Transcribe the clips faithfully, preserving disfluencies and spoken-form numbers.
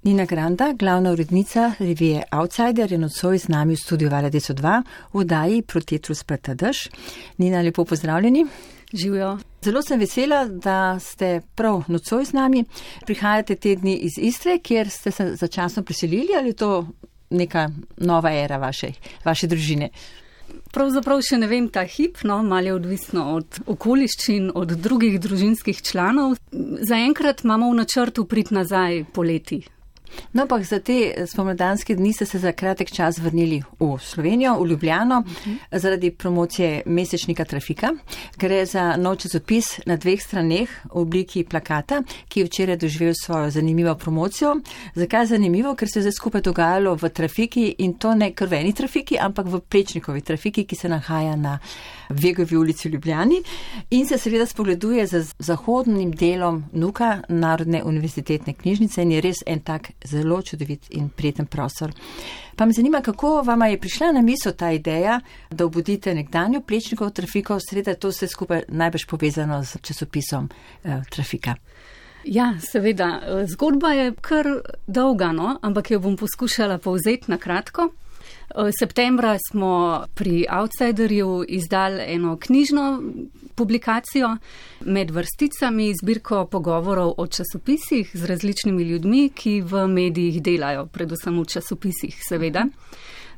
Nina Granda, glavna urednica revije Outsider, je nocoj z nami v studiu Vala sto dva v oddaji Protetru sprta dež. Nina, lepo pozdravljeni. Živijo. Zelo sem vesela, da ste prav nocoj z nami. Prihajate te dni iz Istre, kjer ste se začasno preselili, ali je to neka nova era vaše, vaše družine? Pravzaprav še ne vem ta hip, no, malo je odvisno od okoliščin, od drugih družinskih članov. Zaenkrat imamo v načrtu priti nazaj poleti. No, ampak za te spomladanske dni ste se za kratek čas vrnili v Slovenijo, v Ljubljano, uh-huh. zaradi promocije mesečnika Trafika. Gre za nov časopis na dveh straneh v obliki plakata, ki je včeraj doživel svojo zanimivo promocijo. Zakaj zanimivo? Ker se je zdaj skupaj dogajalo v Trafiki in to ne krveni Trafiki, ampak v Plečnikovi Trafiki, ki se nahaja na Vegovi ulici v Ljubljani in se seveda spogleduje z zahodnim delom Nuka, Narodne univerzitetne knjižnice, in je res en tak zelo čudovit in prijeten prostor. Pa me zanima, kako vama je prišla na misel ta ideja, da obudite nekdanjo Plečnikovo Trafiko, seveda to vse skupaj najbrž povezano z časopisom eh, Trafika. Ja, seveda. Zgodba je kar dolga, no? Ampak jo bom poskušala povzeti na kratko. Septembra smo pri Outsiderju izdali eno knjižno publikacijo med vrsticami, zbirko pogovorov o časopisih z različnimi ljudmi, ki v medijih delajo, predvsem v časopisih, seveda.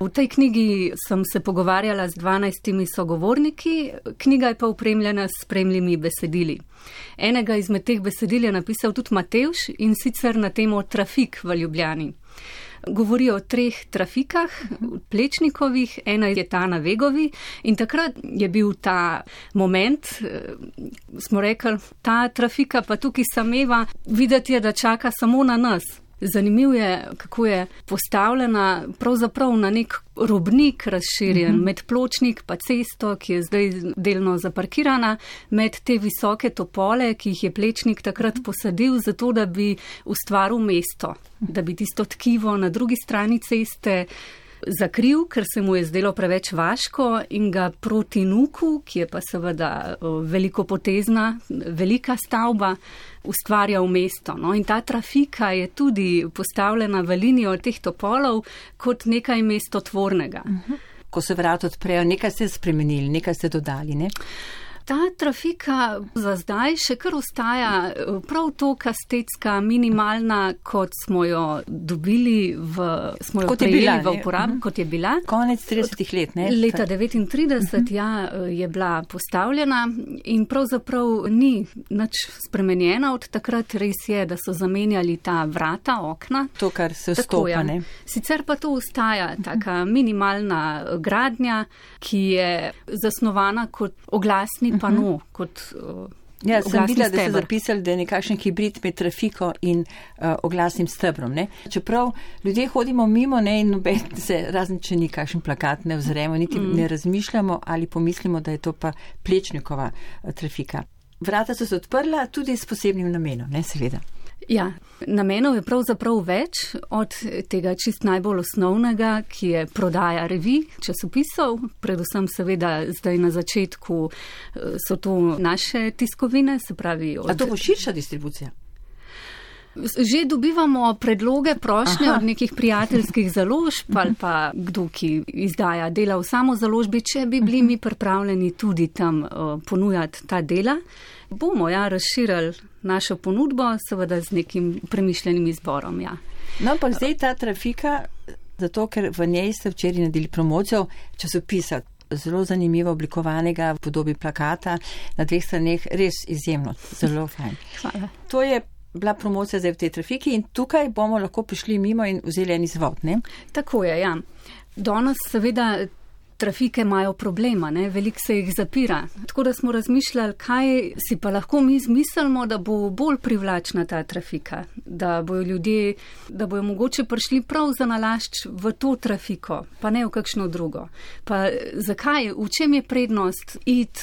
V tej knjigi sem se pogovarjala z dvanajstimi sogovorniki, knjiga je pa opremljena s spremljivimi besedili. Enega izmed teh besedil je napisal tudi Matevž, in sicer na temo Trafik v Ljubljani. Govori o treh trafikah, Plečnikovih, ena je ta na Vegovi, in takrat je bil ta moment, smo rekli, ta trafika pa tukaj sameva, videti je, da čaka samo na nas. Zanimiv je, kako je postavljena pravzaprav na nek robnik razširjen, uh-huh. med pločnik pa cesto, ki je zdaj delno zaparkirana, med te visoke topole, ki jih je Plečnik takrat posadil, zato da bi ustvaril mesto, da bi tisto tkivo na drugi strani ceste zakril, ker se mu je zdelo preveč vaško, in ga proti Nuku, ki je pa seveda velikopotezna, velika stavba, ustvarja v mesto. No? In ta trafika je tudi postavljena v linijo teh topolov kot nekaj mestotvornega. Uh-huh. Ko se vrata odprejo, nekaj ste spremenili, nekaj ste dodali, ne? Ta trafika za zdaj še kar ostaja prav to kastetska, minimalna, kot smo jo dobili v, smo jo prejeli v uporab, uh-huh. kot je bila. Konec tridesetih let, ne? Leta devetintrideset, uh-huh. ja, je bila postavljena in pravzaprav ni nič spremenjena od takrat. Res je, da so zamenjali ta vrata, okna. To, kar se vstopa, ne? Sicer pa to ostaja taka minimalna gradnja, ki je zasnovana kot oglasni pano, kot uh, ja, sem videla, da ste zapisali, da je nekakšen hibrid med trafiko in uh, oglasnim stebrom. Ne? Čeprav ljudje hodimo mimo, ne, in noben se, razen če ni kakšen plakat, ne vzremo, niti mm. ne razmišljamo ali pomislimo, da je to pa Plečnikova uh, trafika. Vrata so se odprla tudi s posebnim namenom, ne, seveda. Ja, namenov je pravzaprav več, od tega čist najbolj osnovnega, ki je prodaja revij, časopisov, predvsem seveda zdaj na začetku so to naše tiskovine, se pravi... Od... A to bo širša distribucija? Že dobivamo predloge, prošnje Aha. od nekih prijateljskih založb ali pa kdo, ki izdaja dela v samo založbi, če bi bili mi pripravljeni tudi tam uh, ponujati ta dela. Bomo ja razširili našo ponudbo, seveda z nekim premišljenim izborom. Ja. No, ampak zdaj ta trafika, zato ker v njej ste včeraj naredili promocijo časopisa, zelo zanimivo oblikovanega v podobi plakata na dveh straneh, res izjemno, zelo fajn. Hvala. To je bila promocija zdaj v tej trafiki in tukaj bomo lahko prišli mimo in vzeli en izvod, ne? Tako je, ja. Danes seveda trafike imajo problema, ne? Veliko se jih zapira. Tako da smo razmišljali, kaj si pa lahko mi zmislimo, da bo bolj privlačna ta trafika, da bojo ljudje, da bojo mogoče prišli prav za nalašč v to trafiko, pa ne v kakšno drugo. Pa zakaj, v čem je prednost iti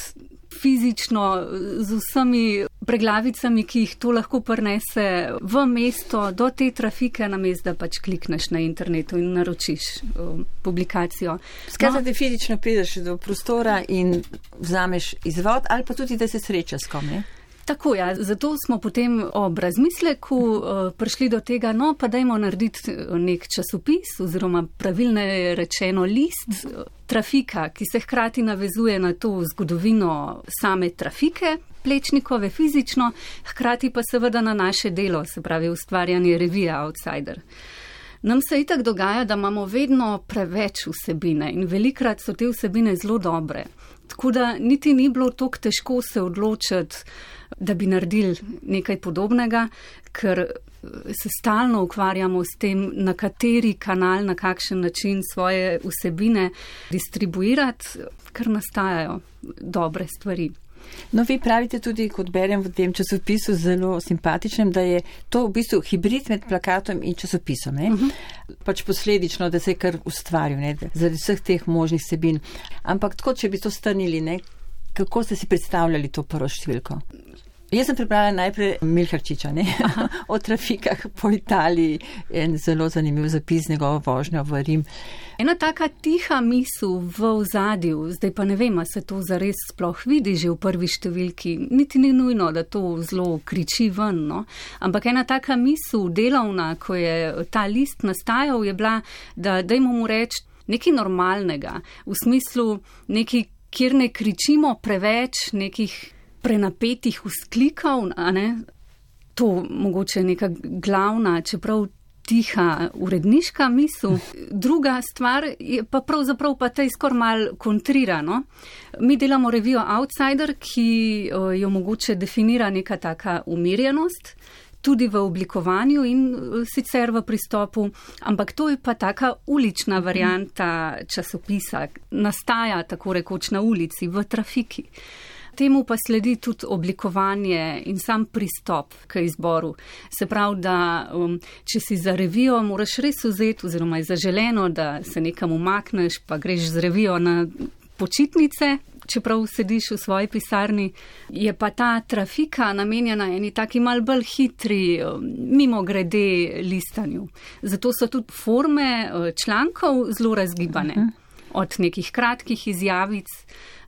fizično z vsemi preglavicami, ki jih to lahko prinese v mesto, do te trafike, namesto da pač klikneš na internetu in naročiš um, publikacijo. Skratka, no, da fizično prideš do prostora in vzameš izvod, ali pa tudi, da se sreča s kom, ne? Tako, ja, zato smo potem ob razmisleku uh, prišli do tega, no pa dajmo narediti nek časopis oziroma pravilne rečeno list uh, trafika, ki se hkrati navezuje na to zgodovino same trafike, Plečnikove fizično, hkrati pa seveda na naše delo, se pravi ustvarjanje revije Outsider. Nam se itak dogaja, da imamo vedno preveč vsebine in velikrat so te vsebine zelo dobre. Tako da niti ni bilo toliko težko se odločiti, da bi naredili nekaj podobnega, ker se stalno ukvarjamo s tem, na kateri kanal, na kakšen način svoje vsebine distribuirati, ker nastajajo dobre stvari. No, vi pravite tudi, kot berem v tem časopisu zelo simpatičnem, da je to v bistvu hibrid med plakatom in časopisom. Ne? Uh-huh. Pač posledično, da se je kar ustvaril, ne? Zaradi vseh teh možnih vsebin. Ampak tako, če bi to strnili, ne? Kako ste si predstavljali to prvo številko? Jaz sem pripravila najprej Milharčiča, ne? O trafikah po Italiji, en zelo zanimiv zapis njegovo vožnjo v Rim. Ena taka tiha misel v ozadju, zdaj pa ne vem, a se to zares sploh vidi že v prvi številki, niti ni nujno, da to zelo kriči ven, no? Ampak ena taka misel delovna, ko je ta list nastajal, je bila, da dajmo mu reči nekaj normalnega, v smislu nekaj, kjer ne kričimo preveč nekih prenapetih vzklikov, a ne? To mogoče neka glavna, čeprav tiha uredniška misel. Druga stvar je pa pravzaprav pa tej skor mal kontrirano. Mi delamo revijo Outsider, ki jo mogoče definira neka taka umirjenost, tudi v oblikovanju in sicer v pristopu, ampak to je pa taka ulična varianta časopisa, nastaja tako rekoč na ulici, v trafiki. Temu pa sledi tudi oblikovanje in sam pristop k izboru. Se pravi, da um, če si za revijo moraš res vzeti oziroma je zaželeno, da se nekam umakneš, pa greš z revijo na počitnice, čeprav sediš v svoji pisarni, je pa ta trafika namenjena eni taki mal bolj hitri, mimogrede listanju. Zato so tudi forme člankov zelo razgibane. Uh-huh. Od nekih kratkih izjavic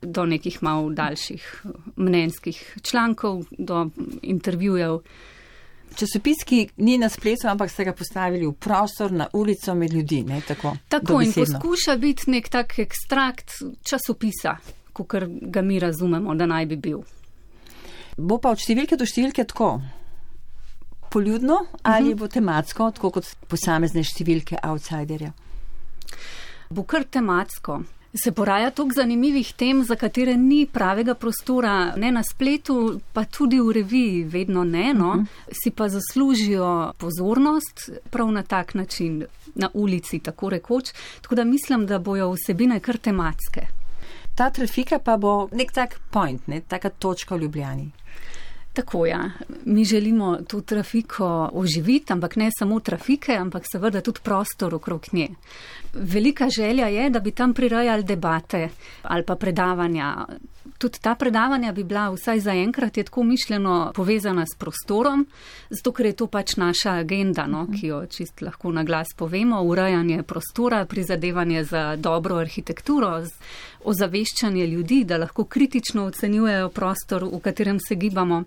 do nekih malo daljših mnenjskih člankov, do intervjujev. Časopis, ki ni na spletu, ampak ste ga postavili v prostor, na ulico med ljudi, ne tako? Tako in poskuša biti nek tak ekstrakt časopisa, kakor ga mi razumemo, da naj bi bil. Bo pa od številke do številke tako poljudno ali uh-huh. bo tematsko, tako kot posamezne številke Outsiderja? Bo kar tematsko. Se poraja toliko zanimivih tem, za katere ni pravega prostora, ne na spletu, pa tudi v reviji vedno ne, no, uh-huh. si pa zaslužijo pozornost prav na tak način, na ulici, tako rekoč. Tako da mislim, da bojo vsebine kar tematske. Ta trafika pa bo nek tak point, ne, taka točka v Ljubljani. Tako, ja. Mi želimo to trafiko oživiti, ampak ne samo trafike, ampak seveda tudi prostor okrog nje. Velika želja je, da bi tam prirajali debate ali pa predavanja. Tudi ta predavanja bi bila vsaj zaenkrat je tako mišljeno povezana s prostorom, zato ker je to pač naša agenda, no, ki jo čist lahko na glas povemo, urejanje prostora, prizadevanje za dobro arhitekturo, ozaveščanje ljudi, da lahko kritično ocenjujejo prostor, v katerem se gibamo.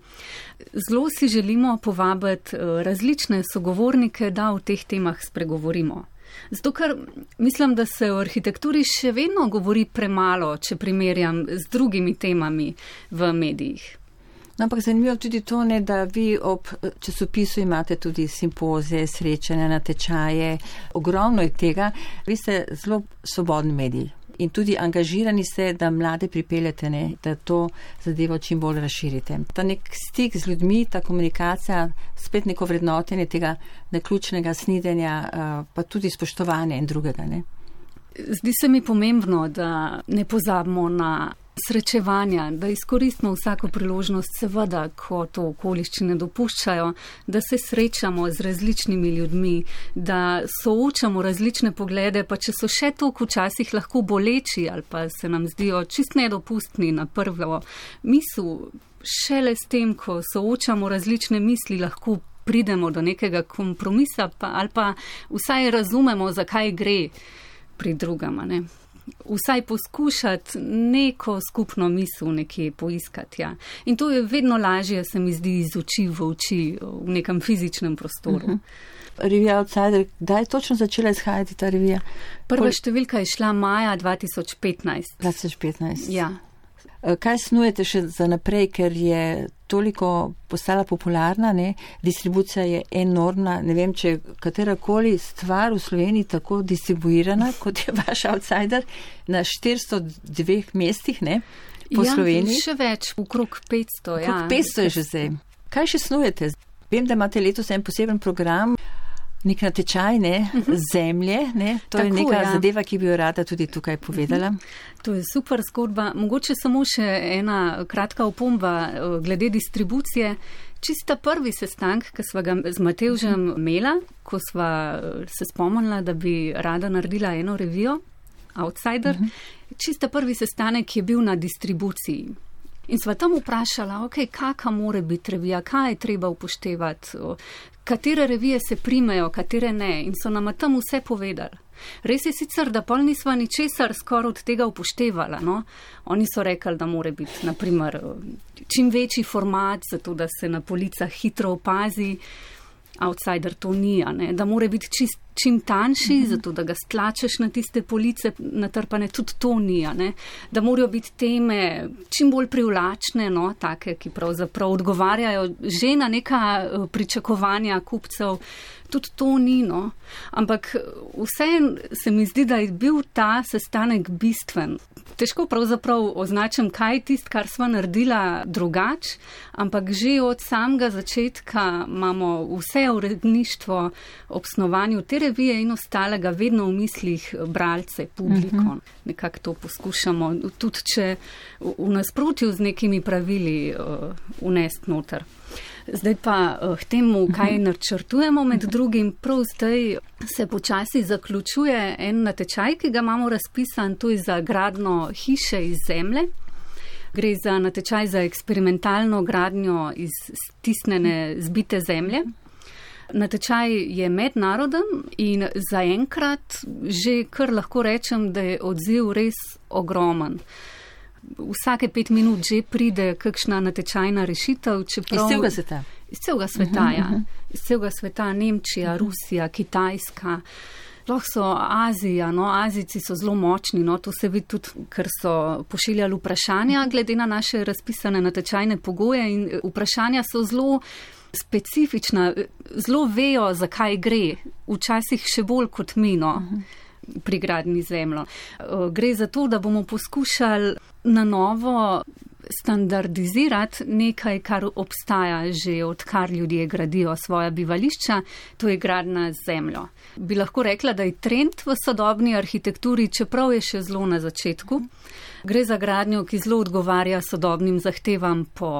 Zelo si želimo povabiti različne sogovornike, da o teh temah spregovorimo. Zato, ker mislim, da se o arhitekturi še vedno govori premalo, če primerjam z drugimi temami v medijih. No, ampak zanimivo tudi to, ne, da vi ob časopisu imate tudi simpozije, srečanja, natečaje, ogromno je tega. Vi ste zelo svobodni mediji in tudi angažirani ste, da mlade pripeljete, ne, da to zadevo čim bolj razširite. Ta nek stik z ljudmi, ta komunikacija, spet neko vrednotenje tega naključnega snidenja, pa tudi spoštovanje in drugega. Ne. Zdi se mi pomembno, da ne pozabimo na srečevanja, da izkoristimo vsako priložnost, seveda, ko to okoliščine dopuščajo, da se srečamo z različnimi ljudmi, da soočamo različne poglede, pa če so še toliko včasih lahko boleči ali pa se nam zdijo čist nedopustni na prvo misel, šele s tem, ko soočamo različne misli, lahko pridemo do nekega kompromisa pa, ali pa vsaj razumemo, zakaj gre pri drugama, ne. vsaj poskušati neko skupno misel nekje poiskati. Ja. In to je vedno lažje, se mi zdi, iz oči v oči v nekem fizičnem prostoru. Uh-huh. Revija Outsider, kdaj je točno začela izhajati ta revija? Prva Pol... številka je šla maja dva tisoč petnajst. dva tisoč petnajst. Ja. Kaj snujete še za naprej, ker je toliko postala popularna, ne? Distribucija je enormna, ne vem, če katerakoli stvar v Sloveniji tako distribuirana, kot je vaš Outsider, na štiristo dveh mestih, ne? Po ja, Sloveniji. Še več, okrog petsto. Okrog ja. petsto je že zdaj. Kaj še snujete? Vem, da imate letos en poseben program, nek natečaj, ne, zemlje, ne, to Tako, je neka ja. zadeva, ki bi jo rada tudi tukaj povedala. To je super zgodba. Mogoče samo še ena kratka opomba glede distribucije. Čista prvi sestank, ki sva ga z Matevžem imela, ko sva se spomnila, da bi rada naredila eno revijo, Outsider, uh-huh. čista prvi sestanek je bil na distribuciji. In sva tam vprašala, ok, kaka more biti revija, kaj je treba upoštevati, katere revije se primejo, katere ne. In so nama tam vse povedali. Res je sicer, da pol nisva ničesar skoraj od tega upoštevala. No? Oni so rekli, da more biti, naprimer, čim večji format, zato da se na policah hitro opazi. Outsider to ni, ne? Da more biti čist, čim tanjši, mm-hmm. zato da ga stlačeš na tiste police natrpane, tudi to ni, ne? Da morajo biti teme čim bolj privlačne, no? Take, ki pravzaprav odgovarjajo že na neka pričakovanja kupcev. Tudi to ni, no. Ampak vse se mi zdi, da je bil ta sestanek bistven. Težko pravzaprav označim, kaj je tist, kar sva naredila drugač, ampak že od samega začetka imamo vse uredništvo ob snovanju te revije in ostalega vedno v mislih bralce, publiko. Uh-huh. Nekako to poskušamo, tudi če v nasprotju z nekimi pravili uh, unest noter. Zdaj pa k temu, kaj načrtujemo med drugim. Prav zdaj se počasi zaključuje en natečaj, ki ga imamo razpisan, to je za gradnjo hiše iz zemlje. Gre za natečaj za eksperimentalno gradnjo iz stisnjene zbite zemlje. Natečaj je mednaroden in zaenkrat že kar lahko rečem, da je odziv res ogromen. Vsake pet minut že pride kakšna natečajna rešitev. Čeprav, iz celega sveta? Iz celega sveta, uh-huh, ja. Uh-huh. Iz celega sveta, Nemčija, uh-huh. Rusija, Kitajska, lahko so Azija, no, Azijci so zelo močni, no, to se vidi tudi, ker so pošiljali vprašanja glede na naše razpisane natečajne pogoje in vprašanja so zelo specifična, zelo vejo, zakaj gre, včasih še bolj kot mi, no. Uh-huh. Pri gradnji zemljo. Gre za to, da bomo poskušali na novo standardizirati nekaj, kar obstaja že odkar ljudje gradijo svoja bivališča, to je gradnja z zemljo. Bi lahko rekla, da je trend v sodobni arhitekturi, čeprav je še zelo na začetku. Gre za gradnjo, ki zelo odgovarja sodobnim zahtevam po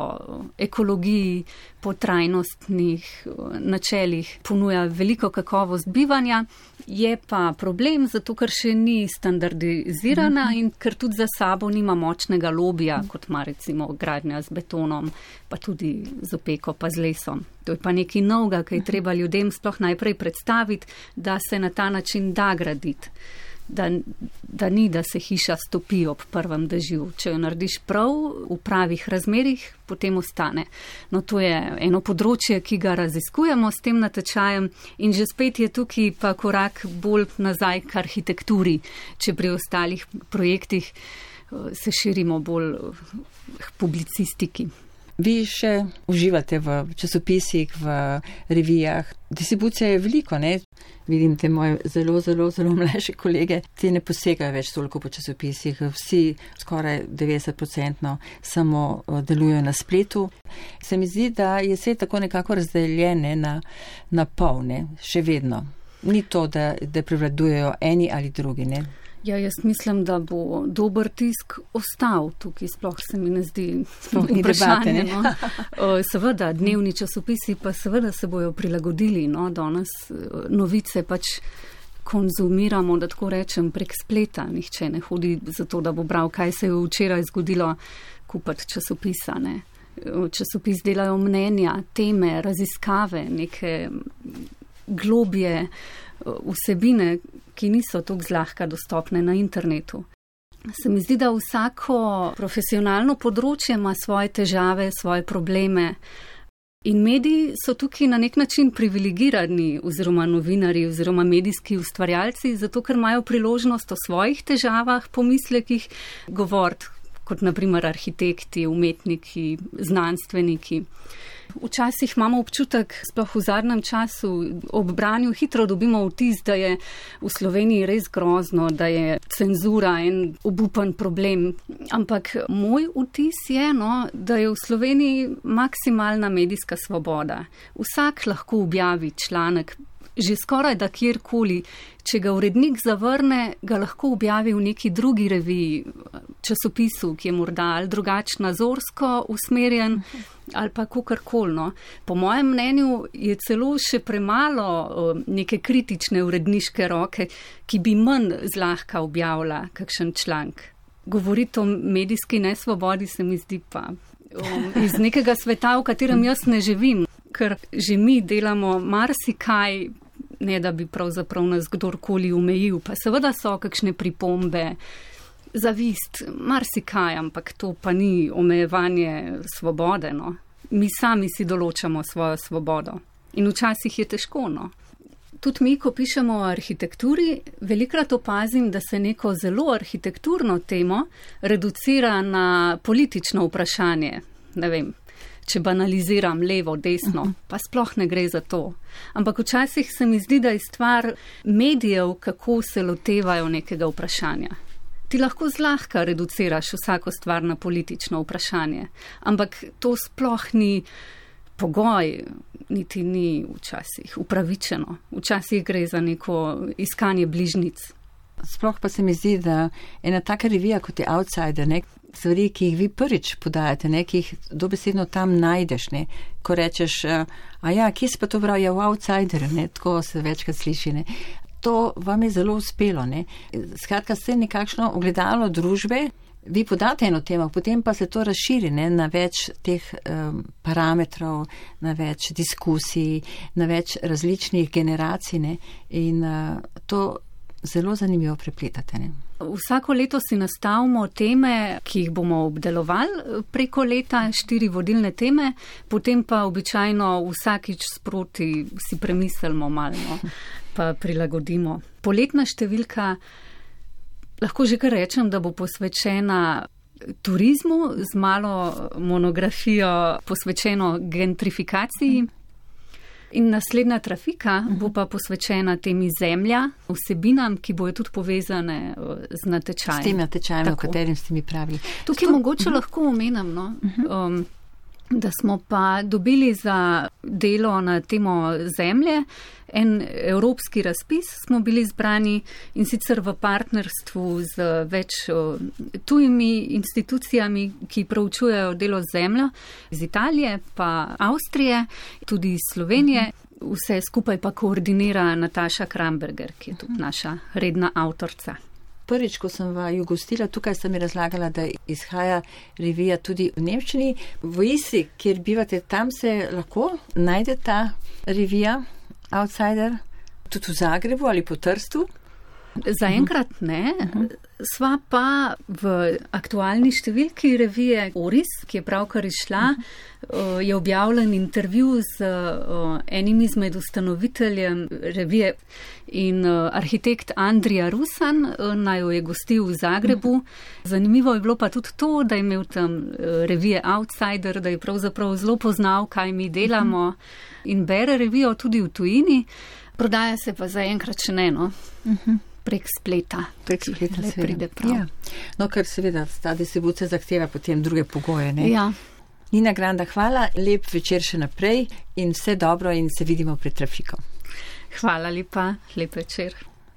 ekologiji, po trajnostnih načelih, ponuja veliko kakovost bivanja, je pa problem, zato ker še ni standardizirana in ker tudi za sabo nima močnega lobija, kot ima recimo gradnja z betonom, pa tudi z opeko, pa z lesom. To je pa nekaj novega, ki je treba ljudem sploh najprej predstaviti, da se na ta način da graditi. Da, da ni, da se hiša stopi ob prvem dežju. Če jo narediš prav, v pravih razmerih, potem ostane. No, to je eno področje, ki ga raziskujemo s tem natečajem in že spet je tukaj pa korak bolj nazaj k arhitekturi, če pri ostalih projektih se širimo bolj k publicistiki. Vi še uživate v časopisih, v revijah. Distribucija je veliko, ne? Vidim te moje zelo, zelo, zelo mlajše kolege, ti ne posegajo več toliko po časopisih. Vsi skoraj devetdeset odstotkov samo delujejo na spletu. Se mi zdi, da je svet tako nekako razdeljen na, na pol, ne? Še vedno. Ni to, da, da prevladujejo eni ali drugi, ne? Ja, jaz mislim, da bo dober tisk ostal tukaj, sploh se mi ne zdi vprašanje. No? Seveda, dnevni časopisi pa seveda se bojo prilagodili. No? Danes novice pač konzumiramo, da tako rečem, prek spleta. Nihče ne hodi za to, da bo bral, kaj se je včeraj zgodilo, kupati časopisa. Ne? Časopis delajo mnenja, teme, raziskave, neke globje vsebine, ki niso tako zlahka dostopne na internetu. Se mi zdi, da vsako profesionalno področje ima svoje težave, svoje probleme. In mediji so tukaj na nek način privilegirani, oziroma novinari, oziroma medijski ustvarjalci, zato ker imajo priložnost o svojih težavah, pomislekih govoriti, kot naprimer arhitekti, umetniki, znanstveniki. Včasih imamo občutek, sploh v zadnjem času, ob branju hitro dobimo vtis, da je v Sloveniji res grozno, da je cenzura en obupen problem. Ampak moj vtis je, no, da je v Sloveniji maksimalna medijska svoboda. Vsak lahko objavi članek, že skoraj da kjerkoli. Če ga urednik zavrne, ga lahko objavi v neki drugi reviji, časopisu, ki je morda ali drugače nazorsko usmerjen, ali pa kakorkoli. No. Po mojem mnenju je celo še premalo neke kritične uredniške roke, ki bi manj zlahka objavila kakšen članek. Govoriti o medijski nesvobodi se mi zdi pa um, iz nekega sveta, v katerem jaz ne živim, ker že mi delamo marsikaj, ne da bi pravzaprav nas kdorkoli omejil, pa seveda so kakšne pripombe, zavist, marsikaj, ampak to pa ni omejevanje svobode, no. Mi sami si določamo svojo svobodo in včasih je težko, no. Tudi mi, ko pišemo o arhitekturi, velikrat opazim, da se neko zelo arhitekturno temo reducira na politično vprašanje, ne vem, če banaliziram levo, desno, pa sploh ne gre za to. Ampak včasih se mi zdi, da je stvar medijev, kako se lotevajo nekega vprašanja. Ti lahko zlahka reduciraš vsako stvar na politično vprašanje, ampak to sploh ni pogoj, niti ni včasih upravičeno. Včasih gre za neko iskanje bližnic. Sploh pa se mi zdi, da ena taka revija kot je Outsider, ne, stvari, ki jih vi prvič podajate, ne, ki jih dobesedno tam najdeš, ne, ko rečeš, a ja, kje se pa to pravi, ja, v Outsider, ne, tako se večkrat sliši, ne. To vam je zelo uspelo, ne. Skratka, ste nekakšno ogledalo družbe, vi podate eno temo, potem pa se to razširi, ne, na več teh um, parametrov, na več diskusij, na več različnih generacij, ne, in uh, to zelo zanimivo prepletate, ne. Vsako leto si nastavimo teme, ki jih bomo obdelovali preko leta, štiri vodilne teme, potem pa običajno vsakič sproti si premislimo malo, pa prilagodimo. Poletna številka, lahko že kar rečem, da bo posvečena turizmu z malo monografijo posvečeno gentrifikaciji. In naslednja trafika bo pa posvečena temi zemlja, vsebinam, ki bojo tudi povezane z natečajem. S tem natečajem, o katerim ste mi pravili. Tukaj Sto... mogoče uh-huh. lahko omenim, no, um, da smo pa dobili za delo na temo zemlje en evropski razpis, smo bili zbrani in sicer v partnerstvu z več tujimi institucijami, ki proučujejo delo z zemljo, iz Italije pa Avstrije, tudi iz Slovenije. Vse skupaj pa koordinira Nataša Kramberger, ki je tudi naša redna avtorica. Prvič, ko sem vaju gostila, tukaj sta mi razlagala, da izhaja revija tudi v nemščini. V Istri, kjer bivate, tam se lahko najde ta revija Outsider, tudi v Zagrebu ali po Trstu? Zaenkrat ne. Sva pa v aktualni številki revije Oris, ki je pravkar izšla, je objavljen intervju z enim izmed ustanoviteljem revije in arhitekt Andrija Rusan naj jo je gostil v Zagrebu. Zanimivo je bilo pa tudi to, da je imel tam revije Outsider, da je pravzaprav zelo poznal, kaj mi delamo in bere revijo tudi v tujini. Prodaja se pa zaenkrat še ne, no. Prek spleta. Prek spleta se pride prav. Ja. No, ker seveda ta distribucija zahteva potem druge pogoje, ne? Ja. Nina Granda, hvala, lep večer še naprej in vse dobro in se vidimo pred trafiko. Hvala lepa, lep večer.